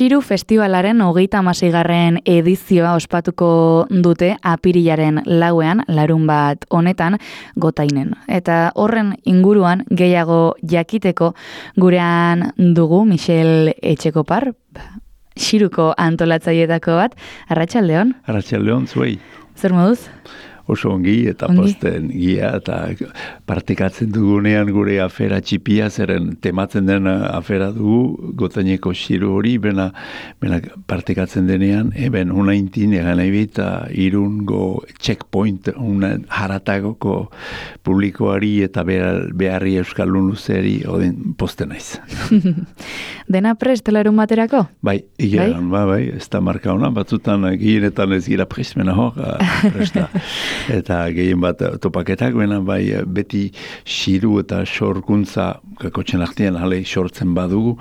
Xiru Festivalaren 36. edizioa ospatuko dute apirilaren 4ean, larunbat honetan, Gotainen. Eta horren inguruan gehiago jakiteko gurean dugu Michel Etxekopar, Xiruko antolatzaileetako bat. Arratsaldeon. Arratsaldeon, zuei. Zer moduz? Oso ongi eta posten gia eta partekatzen dugunean gure afera txipia, zeren tematzen den afera dugu, Gotaineko Xiru hori, bena partekatzen denean, eben unaintin egan ebita irungo checkpoint, haratagoko publikoari eta beharri euskaldun luzeri oden posten naiz. Dena prest larun baterako? Bai, igeran, bai, ez da marka hona, batzutan gehienetan ez gira prest, mena hor, presta. Eta gehien bat topaketak, bai beti xiru eta sorkuntza kakotxen artean hale sortzen badugu,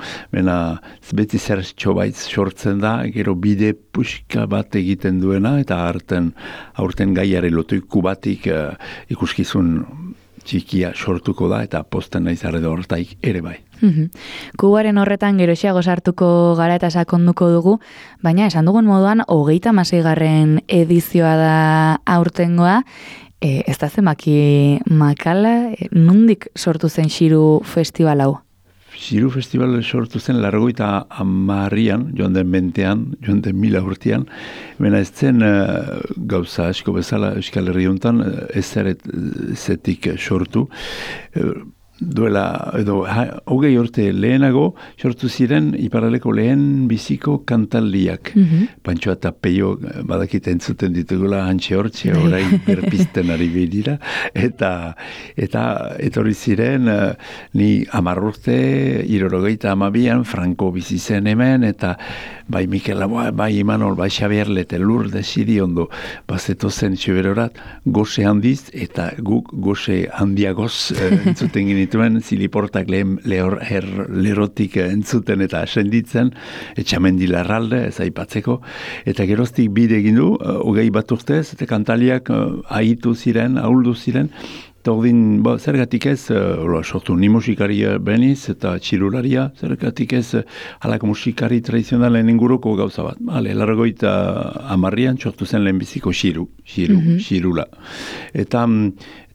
beti zer txobaitz sortzen da, gero bide puxka bat egiten duena, eta aurten gaiare lotuiku batik ikuskizun txikia sortuko da, eta posten naiz horretaik ere bai. Kubaren horretan geroxiago sartuko gara eta sakonduko dugu, baina esan dugun moduan 36. edizioa da aurtengoa, ez da zenbaki makala, nondik sortu zen Xiru Festival hau? Xiru Festival sortu zen 80an, joan den mentean, joan den 1000 urtean, ez zen gauza asko bezala Euskal Herri hontan ez zetik sortu, duela, edo, 20 urte lehenago, sortu ziren iparraleko lehen biziko kantaldiak. Pantxoa eta Peio badakit entzuten ditugula hantxe hortxe, orain berpizten ari behidira, eta etorri ziren, ni 10 urte, 72an, Franco bizi zen hemen, eta bai Mikel Laboa, bai Imanol, bai Xabier Lete, Lourdes Siriondo, bazeto zen txuberorat, goxe handiz, eta guk goxe handiagoz entzuten genituen, ziliportak lerotik entzuten eta senditzen, etxamendi larralde, ez aipatzeko, eta geroztik bide egin du, 20 bat urtez, eta kantaliak ahitu ziren, ahuldu ziren, eta ordin, zergatik ez, sortu ni musikaria beniz, eta txirularia, zergatik ez, halako musikari tradizionalen inguruko gauza bat. Hale, 80an sortu zen lehenbiziko xirula. Eta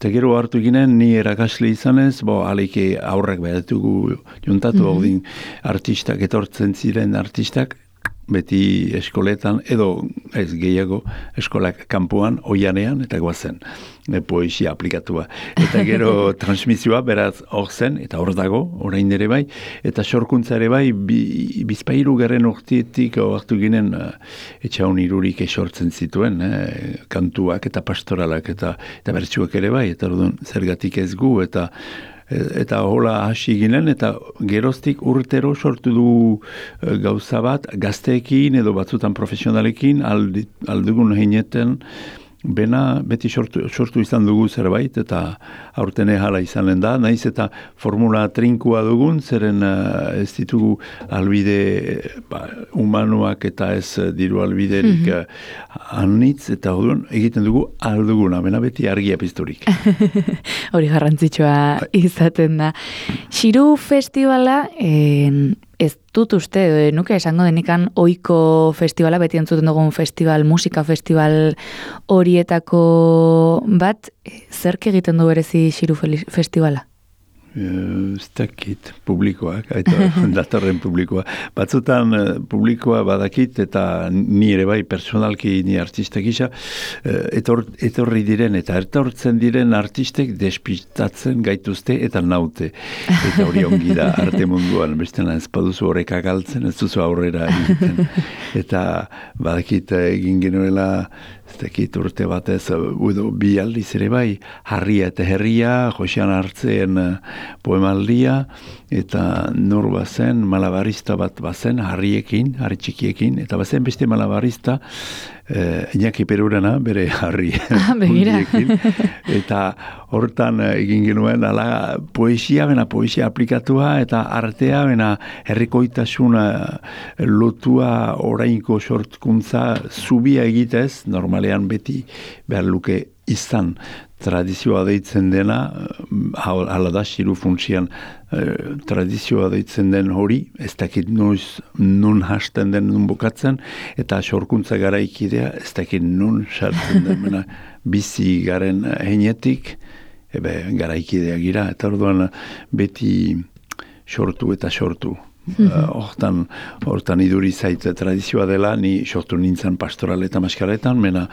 gero hartu ginen, ni erakasle izanez, aleike aurrak behatugu juntatu, ordin artistak, etortzen ziren artistak, beti eskoletan, edo ez gehiago eskolak kanpoan, oianean, eta guazen, poesia aplikatua. Eta gero transmisioa, beraz, hor zen, eta hor dago, orain ere bai, eta sorkuntza ere bai, bizpairu gerren urtietik hartu ginen etxaun irurik esortzen zituen, kantuak eta pastoralak, eta bertsuak ere bai, eta orduan zergatik ez gu, eta hola hasi ginen, eta geroztik urtero sortu du gauza bat, gazteekin edo batzutan profesionalekin, aldugun heineten, bena beti sortu izan dugu zerbait, eta aurten hala izanen da, naiz eta formula trinkua dugun, zeren ez ditugu albide humanoak eta ez diru albiderik anitz, eta egiten dugu alduguna, bena beti argia pizturik. Hori garrantzitsua izaten da. Xiru Festivala, ez dut uste, nuke esango denikan ohiko festivala, beti entzuten dugun musika festival horietako bat, zerk egiten du berezi Xiru Festivala? Ez dakit publikoak, datorren publikoa. Batzutan publikoa badakit, eta ni ere bai personalki ni artista gisa, etorri diren eta etortzen diren artistek despistatzen gaituzte eta naute. Eta hori ongi da arte munduan, bestena ez baduzu horreka galtzen, ez duzu aurrera egiten. Eta badakit egin genuela, ez dakit urte batez, bi aldiz ere bai, Harria eta Herria, Josean Hartzen poemaldia, eta nur bazen, malabarista bat bazen, harriekin, harri txikiekin, eta bazen beste malabarista, Iñaki Perurena, bere harri hundiekin, eta hortan egin genuen, ala poesia aplikatua, eta artea, herrikoitasuna lotua orainko sortkuntza zubia egitez, normalean beti behar luke izan. tradizioa deitzen dena, hala da, xiru funtsian tradizioa deitzen den hori, ez dakit nun hasten den nun bukatzen, eta sorkuntza garaikidea, ez dakit nun sartzen den, bizi garen heinetik, garaikidea gira, eta orduan beti sortu eta sortu. Hortan iduri zait tradizioa dela, ni sortu nintzen pastoral eta maskaletan, mena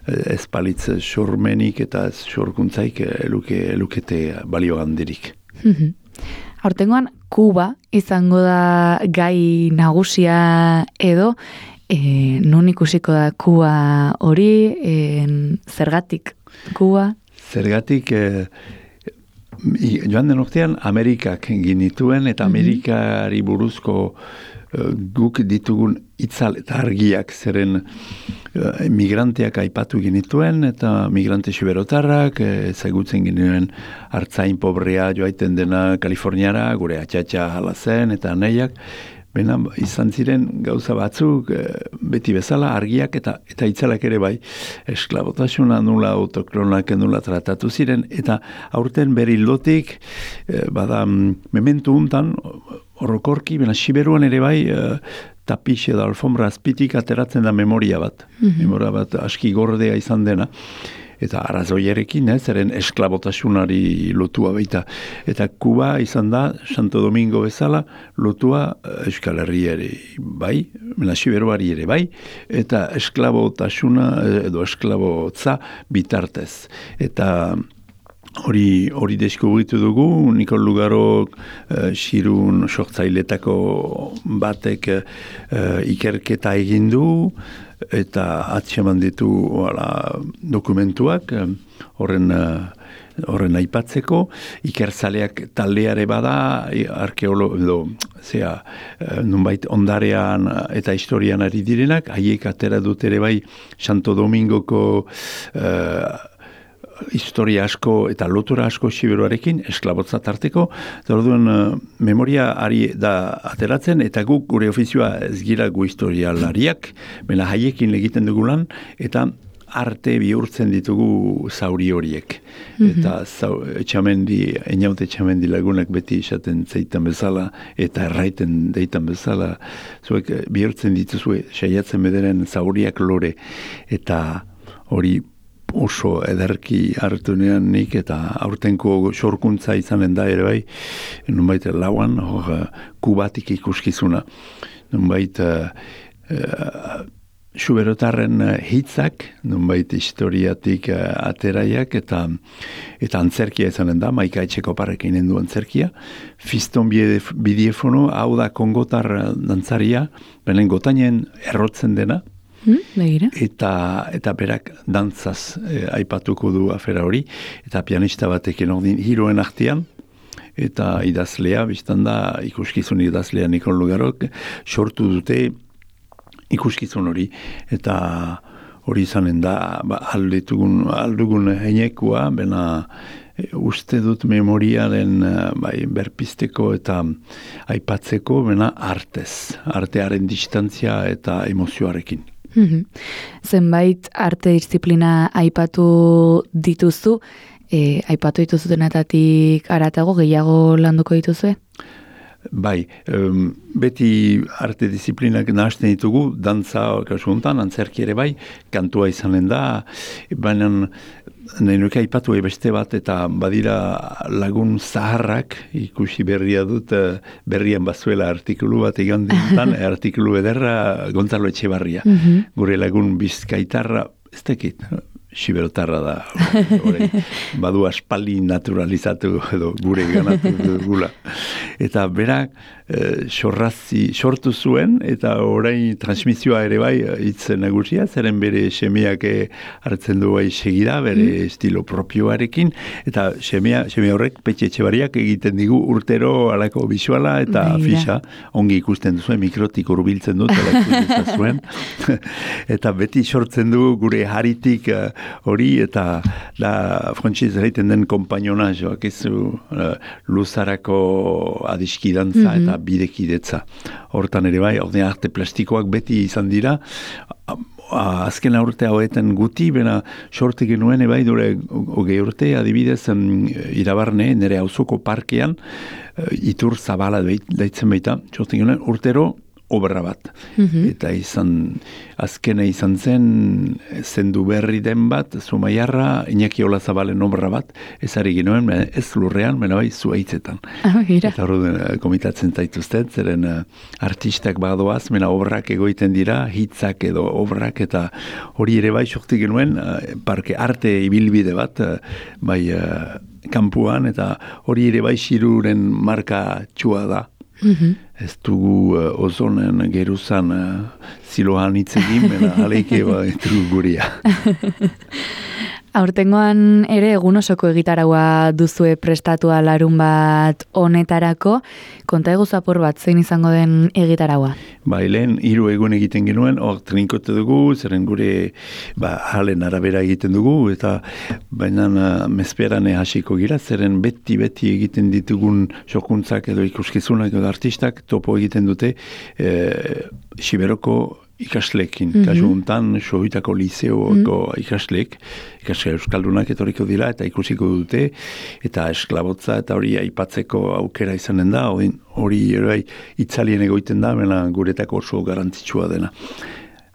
ez palitz sormenik eta sorkuntzaik elukete balio handirik. Aurtengoan, Kuba izango da gai nagusia edo, nun ikusiko da Kuba hori, zergatik Kuba? Zergatik, joan den urtean Amerikak ginituen, eta Amerikari buruzko guk ditugun itzal eta argiak, zeren migranteak aipatu ginituen, eta migrante siberotarrak, ezagutzen ginuen hartzain pobrea joaiten dena Kaliforniara, gure atxatxa hala zen, eta nahiak, bena izan ziren gauza batzuk beti bezala argiak eta itzalak ere bai, esklabotasuna nula, autokronak nula tratatu ziren, eta aurten bere ildotik bada mementu untan horrokorki, bena siberuan ere bai tapiz edo alfombra azpitik ateratzen da memoria bat, memoria bat aski gordea izan dena, eta arazoierekin, zeren esklabotasunari lotua baita. Eta Kuba izan da, Santo Domingo bezala, lotua Euskal Herriari bai, Siberuari ere bai, eta esklabotasuna edo esklabotza bitartez. Eta hori deskubritu dugu, Nikol Lugarok xirun sortzailetako batek ikerketa egin du, eta atxeman ditu dokumentuak horren aipatzeko, ikertzaleak taldeare bada, nunbait ondarean eta historian ari direnak, haiek atera dut ere bai Santo Domingoko historia asko eta lotura asko siberuarekin, esklabotza tarteko, eta orduan memoria ari da ateratzen, eta guk gure ofizioa ez gira gu historialariak, bena haiekin egiten dugu lan, eta arte bihurtzen ditugu zauri horiek. Eta Einaute Etxamendi lagunak beti esaten zeitan bezala, eta erraiten deitan bezala, zuek bihurtzen dituzue, saiatzen bederen zauriak lore, eta hori oso ederki hartunean nik, eta aurtenko sorkuntza izanen da ere bai, nunbait lauan, Kubatik ikuskizuna. Nunbait Xuberotarren hitzak, nunbait historiatik ateraiak, eta antzerkia izanen da, Maika Etxekoparrekin du antzerkia. Fiston Bidiefono, hau da kongotar dantzaria, benen gotainen errotzen dena, eta berak dantzaz aipatuko du afera hori, eta pianista batekin ordin hiroen artean, eta idazlea, biztan da, ikuskizun idazlea Nikol Lugarok, sortu dute ikuskizun hori, eta hori izanen da, aldugun heinekoa, bena uste dut memoriaren berpisteko eta aipatzeko, bena artearen distantzia eta emozioarekin. Zenbait arte disiplina aipatu dituzu, aipatu dituzutenetatik aratago gehiago landuko dituzue? Bai, beti arte disiplinak nahazten ditugu, dantza kasuntan, antzerki ere bai, kantua izanen da, baina nahi nuke aipatu beste bat, eta badira lagun zaharrak, ikusi berria dut, berrian bazuela artikulu bat egan dintan, artikulu ederra Gonzalo Etxebarria. Gure lagun Bizkaitarra, ez dakit, siberotarra da, badu aspaldi naturalizatu edo gure ganatu dugula. Eta berak sortu zuen, eta orain transmisioa ere bai hitz nagusia, zeren bere semeak hartzen du bai segida, bere estilo propioarekin, eta semea horrek Petxe Etxebarriak egiten digu urtero alako bisuala eta fisa, ongi ikusten duzuen, mikrotik hurbiltzen dut, ala ikusten zuen, eta beti sortzen du gure haritik hori, eta da frantziz egiten den kompainonazioak, luzarako adiskidantza, eta bidekidetza. Hortan ere bai, ordea arte plastikoak beti izan dira, azken urte hauetan guti, bena sorte genuen ebai dure hogei urte, adibidez Irabarne, nire auzoko parkean, Itur Zabala daitzen baita, sorte genuen urtero obra bat. Eta azkena izan zendu berri den bat, Zumaiarra, Iñaki Olazabalen obra bat, ez ari genuen, ez lurrean, mena bai, zuaitzetan. Eta hori komitatzen zaituzten, zeren artistak badoaz, mena obrak egoiten dira, hitzak edo obrak, eta hori ere bai, sorti genuen, parke arte ibilbide bat, bai, kampuan, eta hori ere bai, Xiruren marka txua da. Ez dugu ozonen geruzan ziloan itzegin, mena aleike ez dugu guria. Aurtengoan ere egun osoko egitaraua duzue prestatua larun bat honetarako, konta eguz apur bat zein izango den egitaraua? Lehen 3 egun egiten genuen, hor trinkote dugu, zeren gure halen arabera egiten dugu, eta baina mezperane hasiko gira, zeren beti egiten ditugun jokuntzak edo ikuskizunak edo artistak topo egiten dute Siberoko ikasleekin. Kasu hontan, Sohitako liseoko ikasle euskaldunak etorriko dira eta ikusiko dute, eta esklabotza eta hori aipatzeko aukera izanen da, hori itzalien egoiten da, mena guretako oso garrantzitsua dena.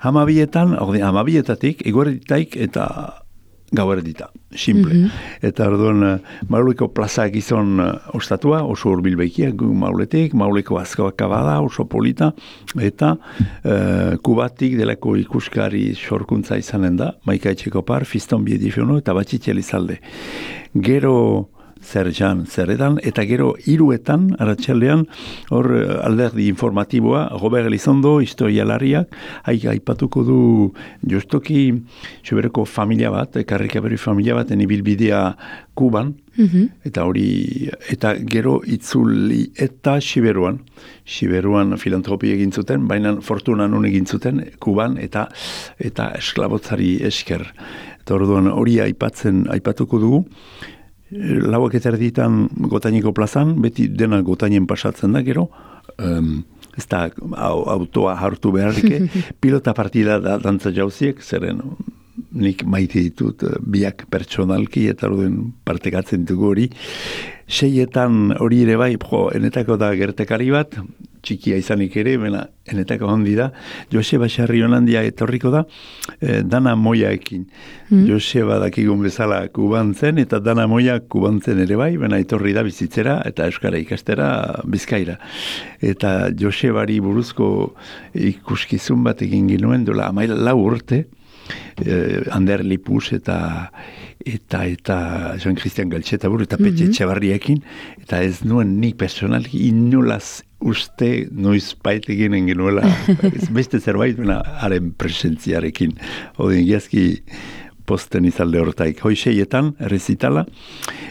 12-etatik, eguerditaik eta gauerdita, simple. Eta orduan, Mauleko plaza gizon ostatua, oso urbilbeikiak Mauletik, Mauleko azkoaka bada, oso polita, eta Kubatik delako ikuskari sorkuntza izanen da, Maika Etxekopar, Fiston Biedifiono, eta Batxitxe Elizalde. Gero zeredan, eta gero 3etan, aratxaldean, hor alderdi informatiboa, Robert Elizondo, historialariak, aipatuko du justoki Siberoko familia bat, Karrikaberi familia bat, ibilbidea Kuban, eta gero itzuli eta Siberuan filantropi egin zuten, baina fortuna nun egin zuten Kuban, eta esklabotzari esker. Eta orduan hori aipatuko dugu, 4:00 Gotaineko plazan, beti dena Gotainen pasatzen da gero, ez da autoa hartu beharrike, pilota partida da dantza jauziek, zeren nik maite ditut biak pertsonalki, eta orduen partekatzen dugu hori. 6etan hori ere bai, enetako da gertekari bat, txikia izanik ere, enetako handi da, Joseba Sarrionandia etorriko da, Dana Moiaekin. Joseba dakigun bezala Kuban zen, eta Dana Moia Kuban zen ere bai, etorri da bizitzera, eta euskara ikastera Bizkaira. Eta Josebari buruzko ikuskizun bat egin ginuen, dola 14 urte, Ander Lipus eta Jean-Christian Galtxetabur eta Petxe Txabarriekin, eta ez nuen nik personalki inolaz uste noiz eginen genuela, beste zerbait haren presentziarekin. Odin giazki posten izalde hortaik. Hoi 6etan, errezitala,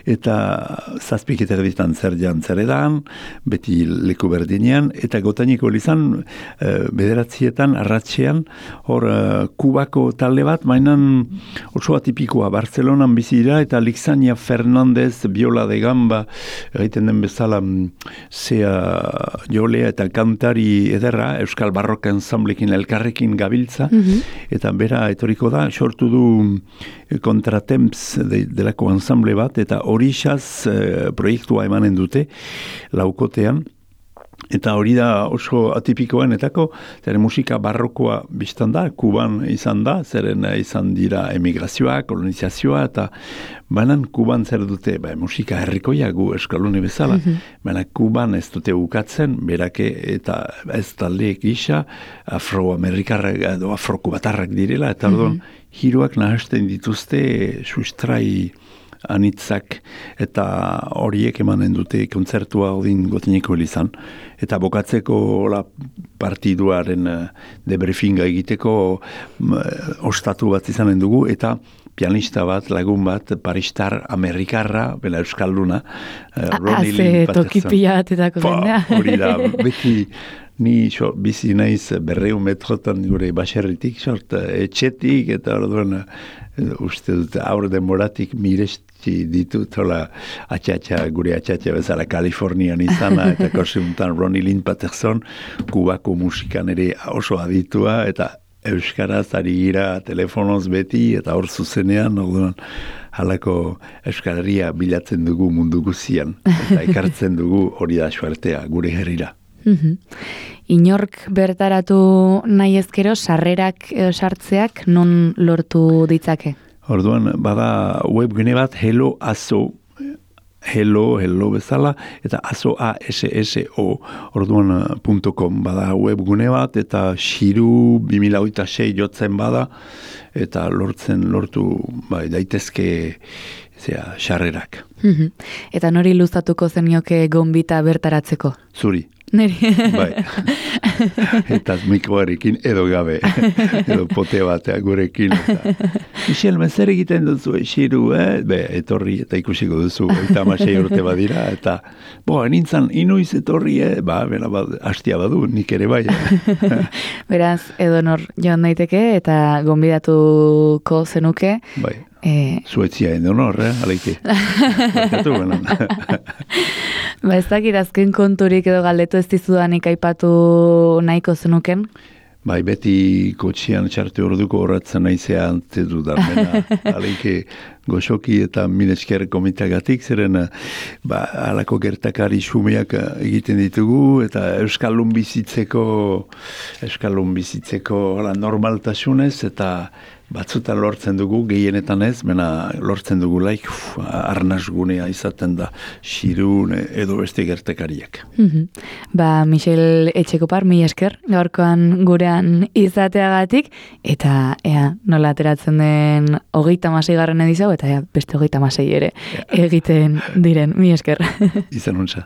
eta 7:00 zeredan, beti leku berdinean, eta Gotaineko lizan, 9:00 arratsean, hor Kubako talde bat, mainan oso atipikoa, Barcelonan bizira, eta Lixania Fernandez, Viola de Gamba, egiten den bezala, zea jolea eta kantari ederra, Euskal Barroka ensamblekin elkarrekin gabiltza, eta bera etoriko da, sortu du Kontratemps delako ensamble bat, eta horixaz proiektua emanen dute laukotean, eta hori da oso atipikoenetako, zeren musika barrokoa biztan da, Kuban izan da, zeren izan dira emigrazioa, kolonizazioa, eta banan Kuban zer dute, musika herrikoia gu eskalune bezala, baina Kuban ez dute ukatzen, berake eta ez taldeek gisa, afroamerikarrak edo afrokubatarrak direla, eta orduan, hiruak nahasten dituzte sustrai anitzak, eta horiek emanen dute kontzertua odin Gotaineko elizan. Eta bokatzeko partiduaren debriefinga egiteko ostatu bat izanen dugu, eta pianista bat, lagun bat, paristar amerikarra, bela euskalduna, Ronnie Lee Patterson. Tokipia atetako zendea. Hori da, beti ni bizi naiz 200 metrotan gure baserritik, etxetik, eta orduan uste dut aur demoratik abesti ditut, hola, gure atxatxa bezala Kalifornian izana, eta koseuntan Ronnie Lynn Patterson, Kubako musikan ere oso aditua, eta euskaraz ari gira telefonoz beti, eta hor zuzenean, orduan, halako euskalaria bilatzen dugu mundu guzian, eta ekartzen dugu hori da suertea, gure herrira. Inork bertaratu nahi ezkero, sarrerak sartzeak non lortu ditzake? Orduan, bada webgune bat, hello bezala, eta aso orduan .com bada webgune bat, eta Xiru 2006 jotzen bada, eta lortu daitezke sarrerak. Eta nori luzatuko zenioke gonbita bertaratzeko? Zuri. Neri. Bai. Eta mikroarekin edo gabe, edo pote batea gurekin. Michel, zer egiten duzu, Xiru, etorri eta ikusiko duzu, eta 16 urte badira, eta nintzen inoiz etorri, hastia badu, nik ere bai. Beraz, edonor joan daiteke, eta gonbidatuko zenuke. Bai. Suetzia edonor, aleike. Ez dakit azken konturik edo galdetu ez dizudanik aipatu nahiko zenuken? Bai, beti kotxian txarte orduko horretzen naizea antzetu darmena. Aleike goxoki eta minesker komitagatik, zeren alako gertakari xumeak egiten ditugu, eta euskaldun bizitzeko normaltasunez, eta batzutan lortzen dugu, gehienetan ez, lortzen dugu arnasgunea izaten da Xirun edo beste gertekariak. Michel Etxekopar, mila esker, gaurkoan gurean izateagatik, eta nola ateratzen den 36. edizio, eta beste 36 ere egiten diren, mila esker. Izan untza.